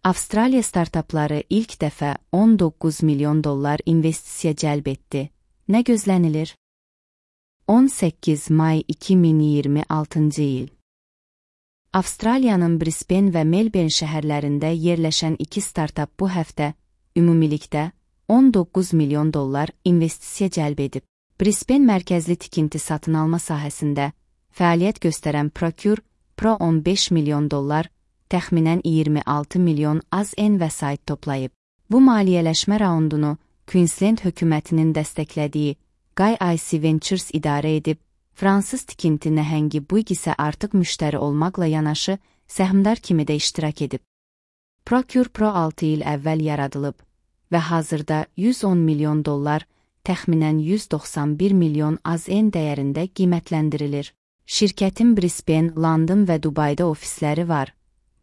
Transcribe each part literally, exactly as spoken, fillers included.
Avstraliya startapları ilk dəfə on doqquz milyon dollar investisiya cəlb etdi. Nə gözlənilir? on səkkiz may iki min iyirmi altıncı il. Avstraliyanın Brisbane və Melbourne şəhərlərində yerləşən iki startap bu həftə ümumilikdə on doqquz milyon dollar investisiya cəlb edib. Brisbane mərkəzli tikinti satın alma sahəsində fəaliyyət göstərən Procure Pro on beş milyon dollar, təxminən iyirmi altı milyon az en vəsait toplayıb. Bu maliyyələşmə raundunu Queensland hökumətinin dəstəklədiyi Guy I C Ventures idarə edib, fransız tikinti nəhəngi Bouygues isə artıq müştəri olmaqla yanaşı, səhmdar kimi də iştirak edib. Procure Pro altı il əvvəl yaradılıb və hazırda yüz on milyon dollar, təxminən yüz doxsan bir milyon az en dəyərində qiymətləndirilir. Şirkətin Brisbane, London və Dubayda ofisləri var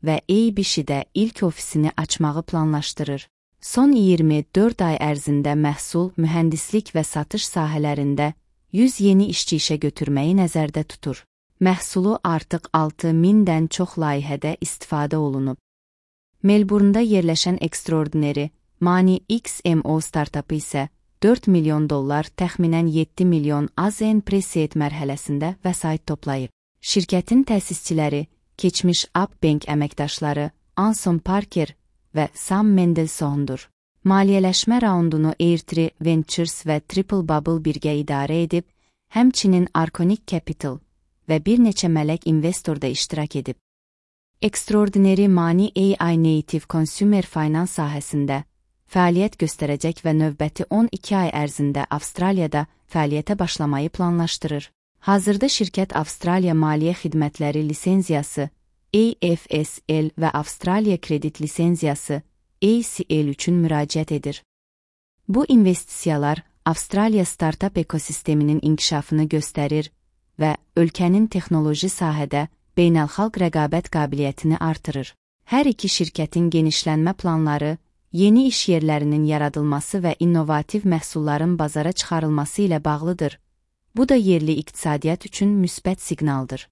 və A B C-də ilk ofisini açmağı planlaşdırır. Son iyirmi dörd ay ərzində məhsul, mühəndislik və satış sahələrində yüz yeni işçi işə götürməyi nəzərdə tutur. Məhsulu artıq altı mindən çox layihədə istifadə olunub. Melbourne'da yerləşən Extraordinary Money X M O startapı isə dörd milyon dollar, təxminən yeddi milyon az en pre-seed mərhələsində vəsait toplayıb. Şirkətin təsisçiləri, keçmiş UpBank əməkdaşları Anson Parker və Sam Mendelssohn'dur. Maliyyələşmə raundunu Airtree Ventures və Triple Bubble birgə idarə edib, həmçinin Arconic Capital və bir neçə mələk investor da iştirak edib. Extraordinary Money A I Native Consumer Finance sahəsində fəaliyyət göstərəcək və növbəti on iki ay ərzində Avstraliyada fəaliyyətə başlamayı planlaşdırır. Hazırda şirkət Avstraliya Maliyyə Xidmətləri lisenziyası A F S L və Avstraliya Kredit lisenziyası A C L üçün müraciət edir. Bu investisiyalar Avstraliya startap ekosisteminin inkişafını göstərir və ölkənin texnoloji sahədə beynəlxalq rəqabət qabiliyyətini artırır. Hər iki şirkətin genişlənmə planları, yeni iş yerlərinin yaradılması və innovativ məhsulların bazara çıxarılması ilə bağlıdır. Bu da yerli iqtisadiyyat üçün müsbət siqnaldır.